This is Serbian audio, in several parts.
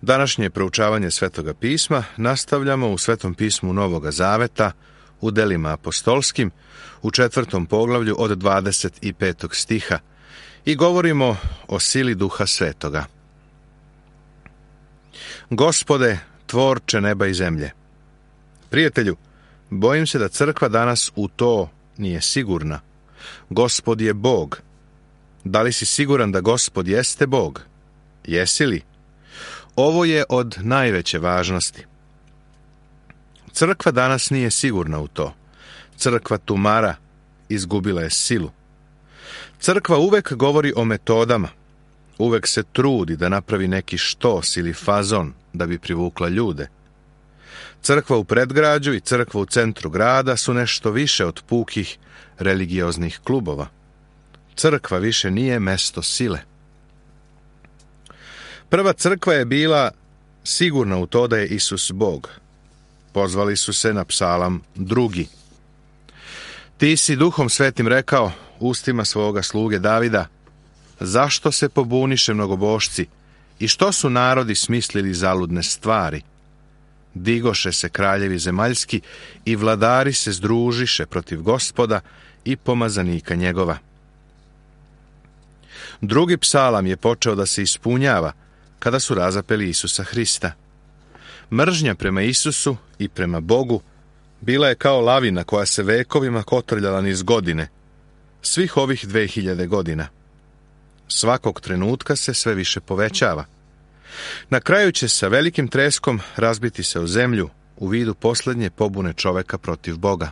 Današnje proučavanje Svetoga pisma nastavljamo u Svetom pismu Novoga Zaveta, u delima apostolskim, u 4. poglavlju od 25. stiha i govorimo o sili Duha Svetoga. Gospode, tvorče neba i zemlje. Prijatelju, bojim se da crkva danas u to nije sigurna. Gospod je Bog. Da li si siguran da Gospod jeste Bog? Jesi li? Ovo je od najveće važnosti. Crkva danas nije sigurna u to. Crkva tumara, izgubila je silu. Crkva uvek govori o metodama. Uvek se trudi da napravi neki štos ili fazon da bi privukla ljude. Crkva u predgrađu i crkva u centru grada su nešto više od pukih religioznih klubova. Crkva više nije mesto sile. Prva crkva je bila sigurna u to da je Isus Bog. Pozvali su se na psalam 2. Ti si Duhom Svetim rekao ustima svoga sluge Davida: zašto se pobuniše mnogobošci i što su narodi smislili zaludne stvari? Digoše se kraljevi zemaljski i vladari se združiše protiv Gospoda i pomazanika njegova. Drugi psalam je počeo da se ispunjava kada su razapeli Isusa Hrista. Mržnja prema Isusu i prema Bogu bila je kao lavina koja se vekovima kotrljala niz godine, svih ovih 2000 godina. Svakog trenutka se sve više povećava. Na kraju će sa velikim treskom razbiti se o zemlju u vidu posljednje pobune čoveka protiv Boga.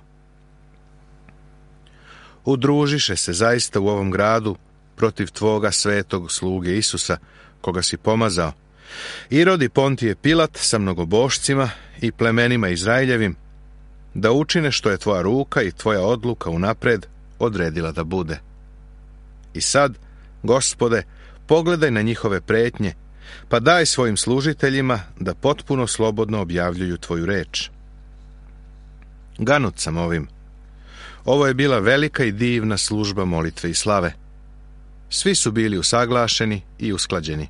Udružiše se zaista u ovom gradu protiv tvoga svetog sluge Isusa, koga si pomazao, Irod i Pontije Pilat sa mnogobošcima i plemenima Izraeljevim, da učine što je tvoja ruka i tvoja odluka unapred odredila da bude. I sad, Gospode, pogledaj na njihove pretnje, pa daj svojim služiteljima da potpuno slobodno objavljuju tvoju reč. Ganut sam ovim. Ovo je bila velika i divna služba molitve i slave. Svi su bili usaglašeni i usklađeni.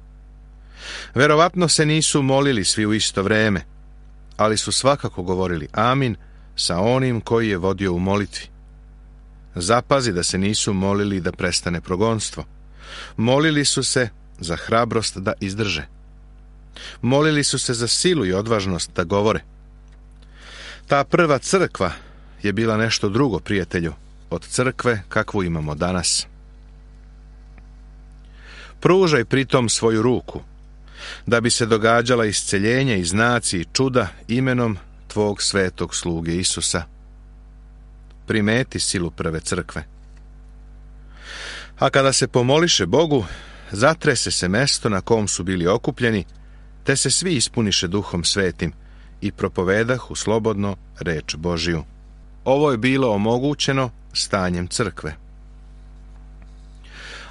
Verovatno se nisu molili svi u isto vreme, ali su svakako govorili amin sa onim koji je vodio u molitvi. Zapazi da se nisu molili da prestane progonstvo. Molili su se za hrabrost da izdrže. Molili su se za silu i odvažnost da govore. Ta prva crkva je bila nešto drugo, prijatelju, od crkve kakvu imamo danas. Pružaj pritom svoju ruku, da bi se događala isceljenja i znaci i čuda imenom tvog svetog sluge Isusa. Primeti silu prve crkve. A kada se pomoliše Bogu, zatrese se mesto na kom su bili okupljeni, te se svi ispuniše Duhom Svetim i propovedahu slobodno reč Božiju. Ovo je bilo omogućeno stanjem crkve.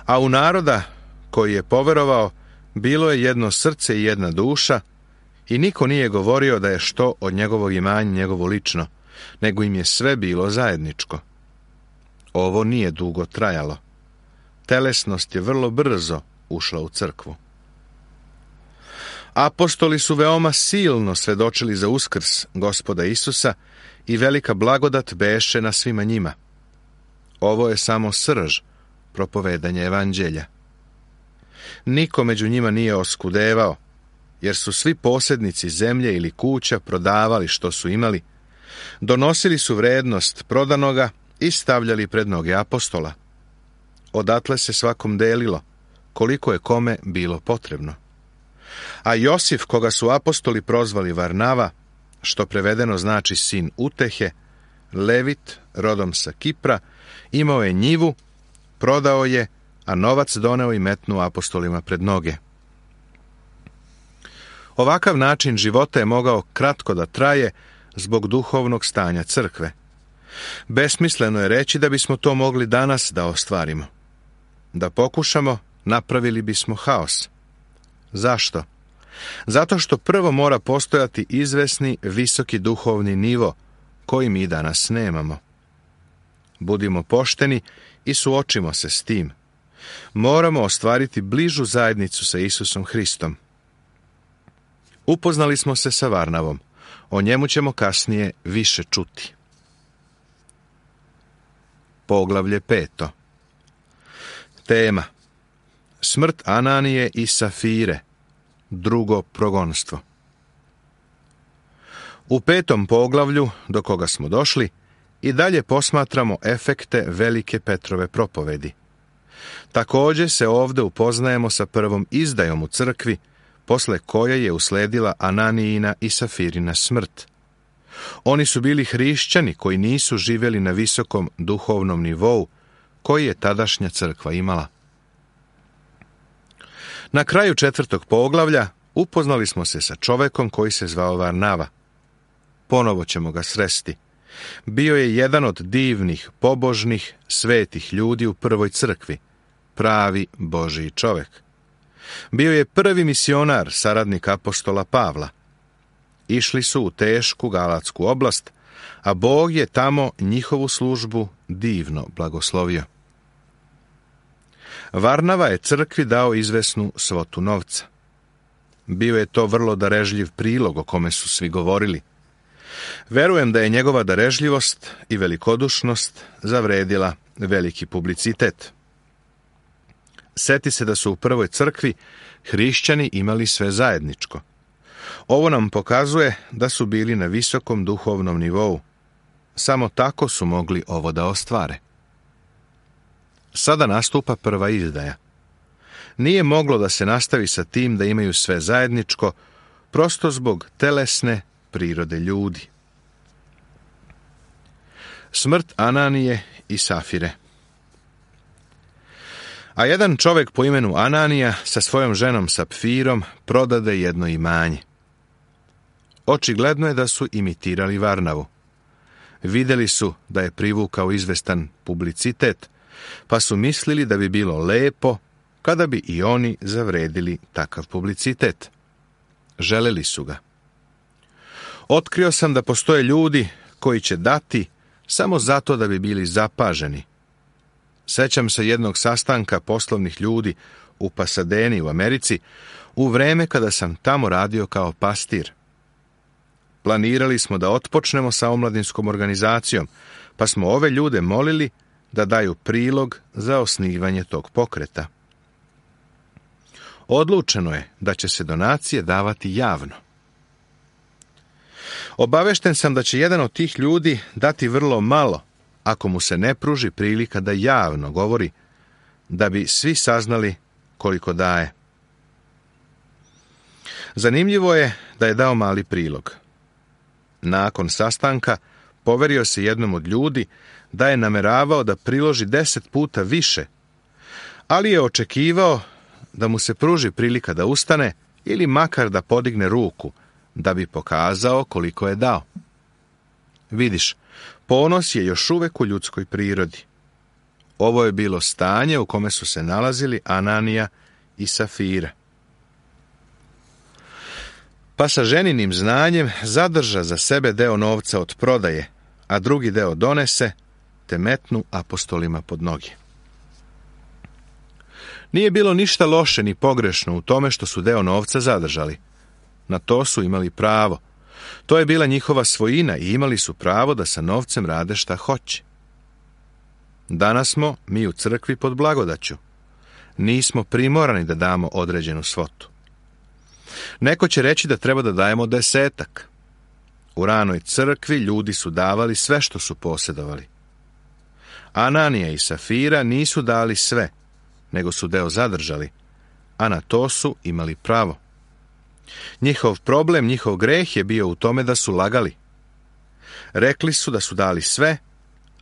A u naroda koji je poverovao bilo je jedno srce i jedna duša, i niko nije govorio da je što od njegovog imanja njegovo lično, nego im je sve bilo zajedničko. Ovo nije dugo trajalo. Telesnost je vrlo brzo ušla u crkvu. Apostoli su veoma silno svedočili za uskrs Gospoda Isusa i velika blagodat beše na svima njima. Ovo je samo srž propovedanja evanđelja. Niko među njima nije oskudevao, jer su svi posjednici zemlje ili kuća prodavali što su imali, donosili su vrednost prodanoga i stavljali pred noge apostola. Odatle se svakom delilo, koliko je kome bilo potrebno. A Josif, koga su apostoli prozvali Varnava, što prevedeno znači sin utehe, Levit, rodom sa Kipra, imao je njivu, prodao je, a novac doneo i metnuo apostolima pred noge. Ovakav način života je mogao kratko da traje zbog duhovnog stanja crkve. Besmisleno je reći da bismo to mogli danas da ostvarimo. Da pokušamo, napravili bismo haos. Zašto? Zato što prvo mora postojati izvesni, visoki duhovni nivo, koji mi danas nemamo. Budimo pošteni i suočimo se s tim. Moramo ostvariti bližu zajednicu sa Isusom Hristom. Upoznali smo se sa Varnavom. O njemu ćemo kasnije više čuti. Poglavlje 5. Tema: smrt Ananije i Safire, drugo progonstvo. U 5. poglavlju, do koga smo došli, i dalje posmatramo efekte velike Petrove propovedi. Također se ovdje upoznajemo sa prvom izdajom u crkvi, posle koje je usledila Ananijina i Safirina smrt. Oni su bili hrišćani koji nisu živjeli na visokom duhovnom nivou koji je tadašnja crkva imala. Na kraju 4. poglavlja upoznali smo se sa čovekom koji se zvao Varnava. Ponovo ćemo ga sresti. Bio je jedan od divnih, pobožnih, svetih ljudi u prvoj crkvi, pravi Božiji čovek. Bio je prvi misionar, saradnik apostola Pavla. Išli su u tešku Galatsku oblast, a Bog je tamo njihovu službu divno blagoslovio. Varnava je crkvi dao izvesnu svotu novca. Bio je to vrlo darežljiv prilog o kome su svi govorili. Verujem da je njegova darežljivost i velikodušnost zavredila veliki publicitet. Seti se da su u prvoj crkvi hrišćani imali sve zajedničko. Ovo nam pokazuje da su bili na visokom duhovnom nivou. Samo tako su mogli ovo da ostvare. Sada nastupa prva izdaja. Nije moglo da se nastavi sa tim da imaju sve zajedničko, prosto zbog telesne prirode ljudi. Smrt Ananije i Safire. A jedan čovjek po imenu Ananija sa svojom ženom Sapfirom prodade jedno imanje. Očigledno je da su imitirali Varnavu. Vidjeli su da je privukao izvestan publicitet, pa su mislili da bi bilo lepo kada bi i oni zavredili takav publicitet. Želeli su ga. Otkrio sam da postoje ljudi koji će dati samo zato da bi bili zapaženi. Sećam se jednog sastanka poslovnih ljudi u Pasadeni u Americi u vreme kada sam tamo radio kao pastir. Planirali smo da otpočnemo sa omladinskom organizacijom, pa smo ove ljude molili da daju prilog za osnivanje tog pokreta. Odlučeno je da će se donacije davati javno. Obavešten sam da će jedan od tih ljudi dati vrlo malo, ako mu se ne pruži prilika da javno govori, da bi svi saznali koliko daje. Zanimljivo je da je dao mali prilog. Nakon sastanka poverio se jednom od ljudi da je nameravao da priloži 10 puta više, ali je očekivao da mu se pruži prilika da ustane ili makar da podigne ruku, da bi pokazao koliko je dao. Vidiš, ponos je još uvek u ljudskoj prirodi. Ovo je bilo stanje u kome su se nalazili Ananija i Safira. Pa sa ženinim znanjem zadrža za sebe deo novca od prodaje, a drugi deo donese, te metnu apostolima pod noge. Nije bilo ništa loše ni pogrešno u tome što su deo novca zadržali. Na to su imali pravo. To je bila njihova svojina i imali su pravo da sa novcem rade šta hoće. Danas smo mi u crkvi pod blagodaću. Nismo primorani da damo određenu svotu. Neko će reći da treba da dajemo 10. U ranoj crkvi ljudi su davali sve što su posjedovali. Ananija i Safira nisu dali sve, nego su deo zadržali, a na to su imali pravo. Njihov problem, njihov greh je bio u tome da su lagali. Rekli su da su dali sve,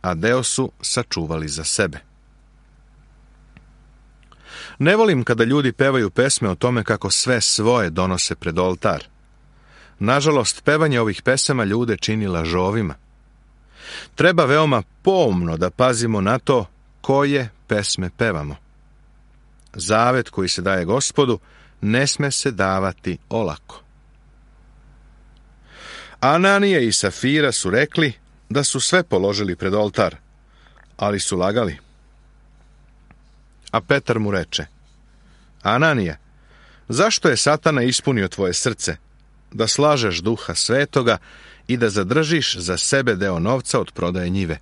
a deo su sačuvali za sebe. Ne volim kada ljudi pevaju pesme o tome kako sve svoje donose pred oltar. Nažalost, pevanje ovih pesama ljude čini lažovima. Treba veoma pomno da pazimo na to koje pesme pevamo. Zavet koji se daje Gospodu ne sme se davati olako. Ananija i Safira su rekli da su sve položili pred oltar, ali su lagali. A Petar mu reče: Ananija, zašto je Satana ispunio tvoje srce? da slažeš Duha Svetoga i da zadržiš za sebe deo novca od prodaje njive.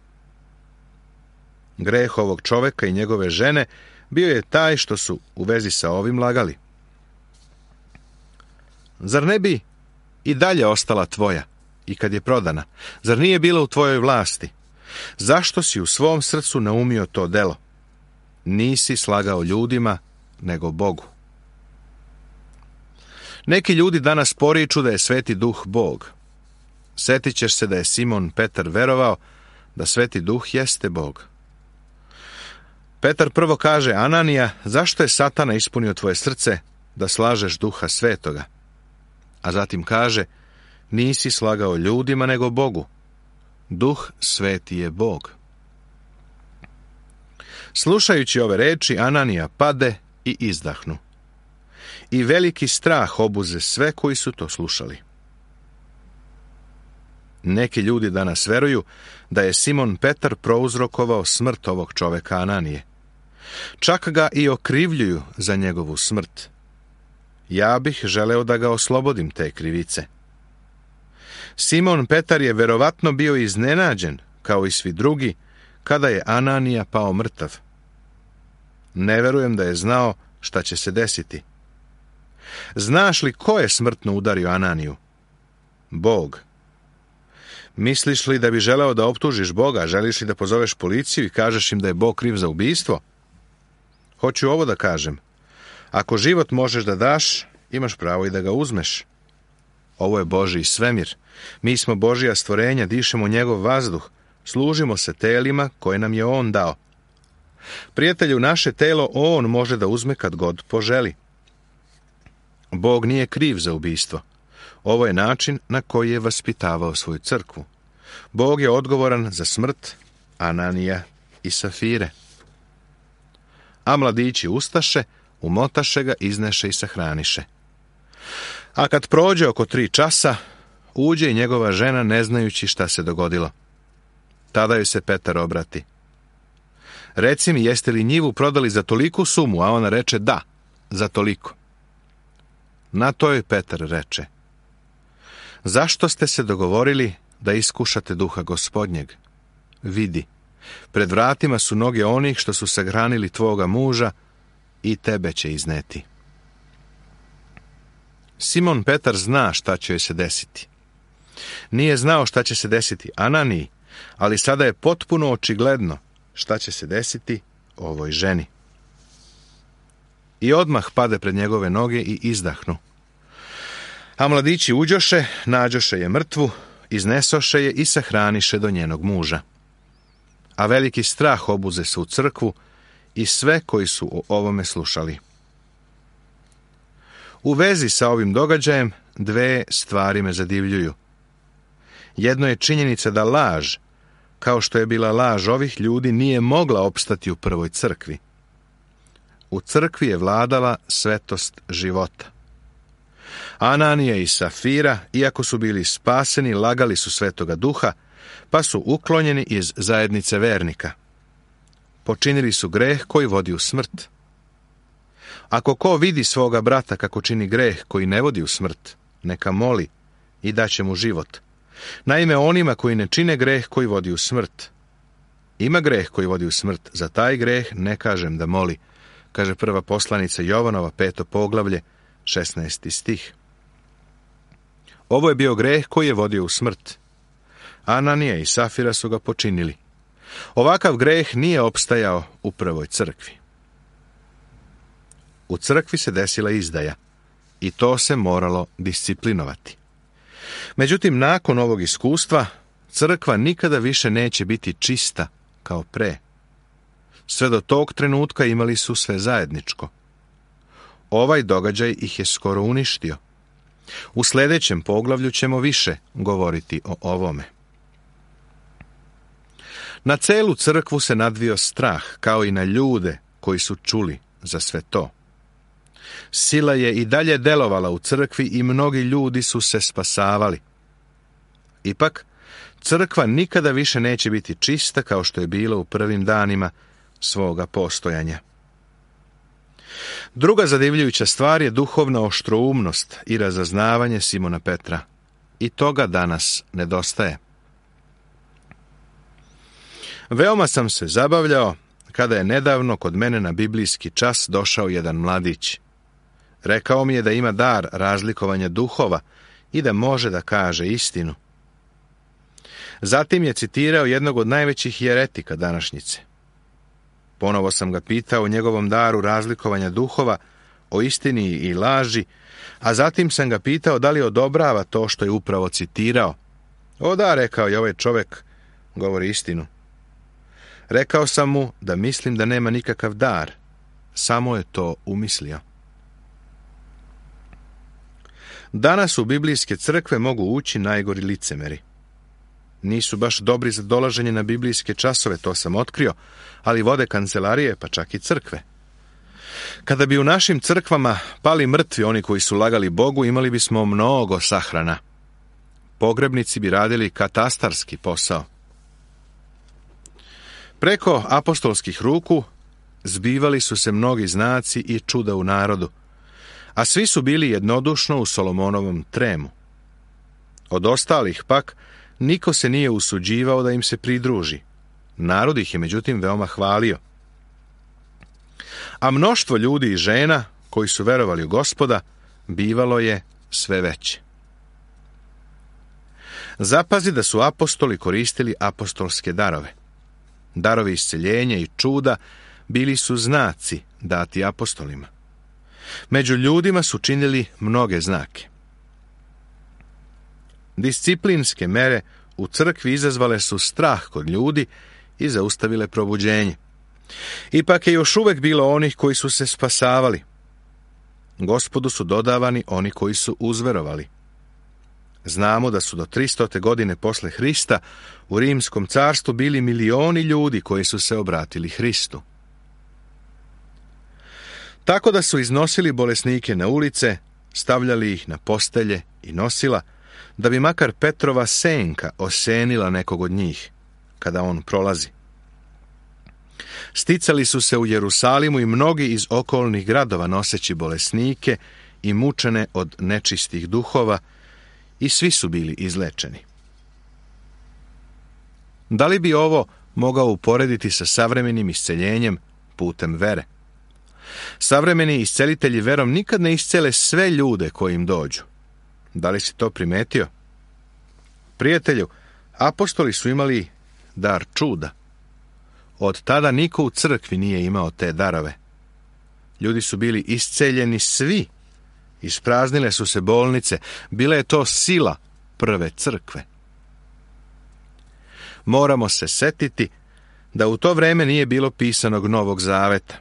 Greh ovog čoveka i njegove žene bio je taj što su u vezi sa ovim lagali. Zar ne bi i dalje ostala tvoja i kad je prodana? Zar nije bila u tvojoj vlasti? Zašto si u svom srcu naumio to delo? Nisi slagao ljudima, nego Bogu. Neki ljudi danas poriču da je Sveti Duh Bog. Setit ćeš se da je Simon Petar verovao da Sveti Duh jeste Bog. Petar prvo kaže: Ananija, zašto je Satana ispunio tvoje srce da slažeš Duha Svetoga? A zatim kaže: nisi slagao ljudima, nego Bogu. Duh Sveti je Bog. Slušajući ove reči, Ananija pade i izdahnu. I veliki strah obuze sve koji su to slušali. Neki ljudi danas veruju da je Simon Petar prouzrokovao smrt ovog čoveka Ananije. Čak ga i okrivljuju za njegovu smrt. Ja bih želeo da ga oslobodim te krivice. Simon Petar je verovatno bio iznenađen, kao i svi drugi, kada je Ananija pao mrtav. Ne verujem da je znao šta će se desiti. Znaš li ko je smrtno udario Ananiju? Bog. Misliš li da bi želeo da optužiš Boga? Želiš li da pozoveš policiju i kažeš im da je Bog kriv za ubistvo? Hoću ovo da kažem. Ako život možeš da daš, imaš pravo i da ga uzmeš. Ovo je Božji svemir. Mi smo Božja stvorenja, dišemo njegov vazduh, služimo se telima koje nam je On dao. Prijatelju, naše telo On može da uzme kad god poželi. Bog nije kriv za ubistvo. Ovo je način na koji je vaspitavao svoju crkvu. Bog je odgovoran za smrt Ananija i Safire. A mladići ustaše, umotaše ga, izneše i sahraniše. A kad prođe oko 3 časa, uđe i njegova žena, ne znajući šta se dogodilo. Tada joj se Petar obrati. Reci mi, jeste li njivu prodali za toliku sumu? A ona reče: da, za toliko. Na to joj Petar reče: zašto ste se dogovorili da iskušate Duha Gospodnjeg? Vidi, pred vratima su noge onih što su sahranili tvoga muža i tebe će izneti. Simon Petar zna šta će joj se desiti. Nije znao šta će se desiti Ananiji, ali sada je potpuno očigledno šta će se desiti ovoj ženi. I odmah pade pred njegove noge i izdahnu. A mladići uđoše, nađoše je mrtvu, iznesoše je i sahraniše do njenog muža. A veliki strah obuze se u crkvu i sve koji su o ovome slušali. U vezi sa ovim događajem 2 stvari me zadivljuju. Jedno je činjenica da laž, kao što je bila laž ovih ljudi, nije mogla opstati u prvoj crkvi. U crkvi je vladala svetost života. Ananija i Safira, iako su bili spaseni, lagali su Svetoga Duha, pa su uklonjeni iz zajednice vernika. Počinili su greh koji vodi u smrt. Ako ko vidi svoga brata kako čini greh koji ne vodi u smrt, neka moli i daće mu život. Naime, onima koji ne čine greh koji vodi u smrt. Ima greh koji vodi u smrt, za taj greh ne kažem da moli, kaže prva poslanica Jovanova, 5. poglavlje, 16. stih. Ovo je bio greh koji je vodio u smrt. Ananija i Safira su ga počinili. Ovakav greh nije opstajao u prvoj crkvi. U crkvi se desila izdaja i to se moralo disciplinovati. Međutim, nakon ovog iskustva, crkva nikada više neće biti čista kao pre. Sve do tog trenutka imali su sve zajedničko. Ovaj događaj ih je skoro uništio. U sljedećem poglavlju ćemo više govoriti o ovome. Na celu crkvu se nadvio strah, kao i na ljude koji su čuli za sve to. Sila je i dalje delovala u crkvi i mnogi ljudi su se spasavali. Ipak, crkva nikada više neće biti čista kao što je bilo u prvim danima svoga postojanja. Druga zadivljujuća stvar je duhovna oštroumnost i razaznavanje Simona Petra. I toga danas nedostaje. Veoma sam se zabavljao kada je nedavno kod mene na biblijski čas došao jedan mladić. Rekao mi je da ima dar razlikovanja duhova i da može da kaže istinu. Zatim je citirao jednog od najvećih jeretika današnjice. Ponovo sam ga pitao o njegovom daru razlikovanja duhova, o istini i laži, a zatim sam ga pitao da li odobrava to što je upravo citirao. O da, rekao je, ovaj čovjek govori istinu. Rekao sam mu da mislim da nema nikakav dar, samo je to umislio. Danas u biblijske crkve mogu ući najgori licemeri. Nisu baš dobri za dolaženje na biblijske časove, to sam otkrio, ali vode kancelarije, pa čak i crkve. Kada bi u našim crkvama pali mrtvi oni koji su lagali Bogu, imali bismo mnogo sahrana. Pogrebnici bi radili katastarski posao. Preko apostolskih ruku zbivali su se mnogi znaci i čuda u narodu, a svi su bili jednodušno u Solomonovom tremu. Od ostalih pak niko se nije usuđivao da im se pridruži. Narod ih je međutim veoma hvalio. A mnoštvo ljudi i žena koji su verovali u Gospoda bivalo je sve veće. Zapazi da su apostoli koristili apostolske darove. Darovi isceljenja i čuda bili su znaci dati apostolima. Među ljudima su činili mnoge znake. Disciplinske mere u crkvi izazvale su strah kod ljudi i zaustavile probuđenje. Ipak je još uvek bilo onih koji su se spasavali. Gospodu su dodavani oni koji su uzverovali. Znamo da su do 300. godine posle Hrista u Rimskom carstvu bili milioni ljudi koji su se obratili Hristu. Tako da su iznosili bolesnike na ulice, stavljali ih na postelje i nosila, da bi makar Petrova senka osenila nekog od njih, kada on prolazi. Sticali su se u Jerusalimu i mnogi iz okolnih gradova noseći bolesnike i mučene od nečistih duhova, i svi su bili izlečeni. Da li bi ovo mogao uporediti sa savremenim isceljenjem putem vere? Savremeni iscelitelji verom nikad ne iscele sve ljude koji im dođu. Da li si to primetio? Prijatelju, apostoli su imali dar čuda. Od tada niko u crkvi nije imao te darove. Ljudi su bili isceljeni svi. Ispraznile su se bolnice. Bila je to sila prve crkve. Moramo se setiti da u to vreme nije bilo pisanog Novog zaveta.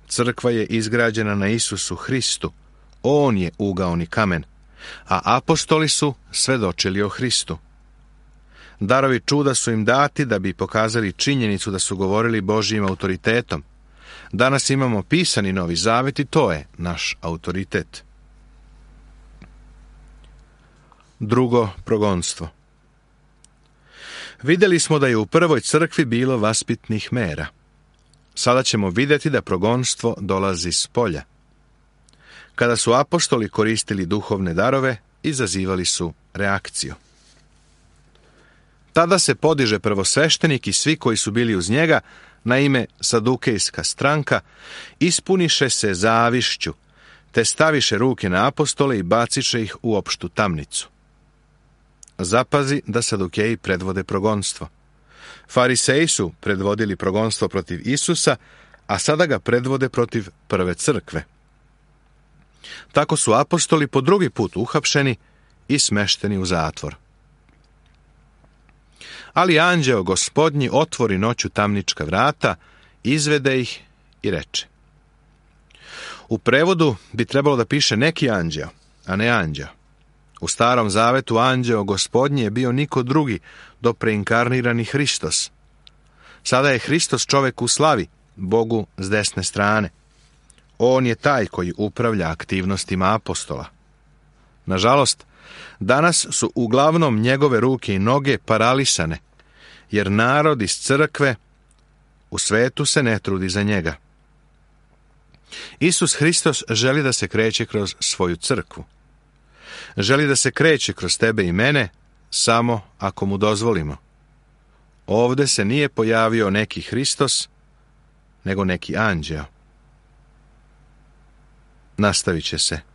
Crkva je izgrađena na Isusu Hristu. On je ugaoni kamen, a apostoli su svedočili o Hristu. Darovi čuda su im dati da bi pokazali činjenicu da su govorili Božjim autoritetom. Danas imamo pisani Novi Zavet i to je naš autoritet. Drugo progonstvo. Vidjeli smo da je u prvoj crkvi bilo vaspitnih mera. Sada ćemo vidjeti da progonstvo dolazi s polja. Kada su apostoli koristili duhovne darove, izazivali su reakciju. Tada se podiže prvosveštenik i svi koji su bili uz njega, na ime Sadukejska stranka, ispuniše se zavišću, te staviše ruke na apostole i baciše ih u opštu tamnicu. Zapazi da Sadukeji predvode progonstvo. Fariseji su predvodili progonstvo protiv Isusa, a sada ga predvode protiv prve crkve. Tako su apostoli po drugi put uhapšeni i smešteni u zatvor. Ali anđeo Gospodnji otvori noću tamnička vrata, izvede ih i reče. U prevodu bi trebalo da piše neki anđeo, a ne anđeo. U Starom zavetu anđeo Gospodnji je bio niko drugi do preinkarnirani Hristos. Sada je Hristos čovek u slavi, Bogu s desne strane. On je taj koji upravlja aktivnostima apostola. Nažalost, danas su uglavnom njegove ruke i noge paralisane, jer narod iz crkve u svetu se ne trudi za njega. Isus Hristos želi da se kreće kroz svoju crkvu. Želi da se kreće kroz tebe i mene, samo ako mu dozvolimo. Ovde se nije pojavio neki Hristos, nego neki anđeo. Nastavit će se.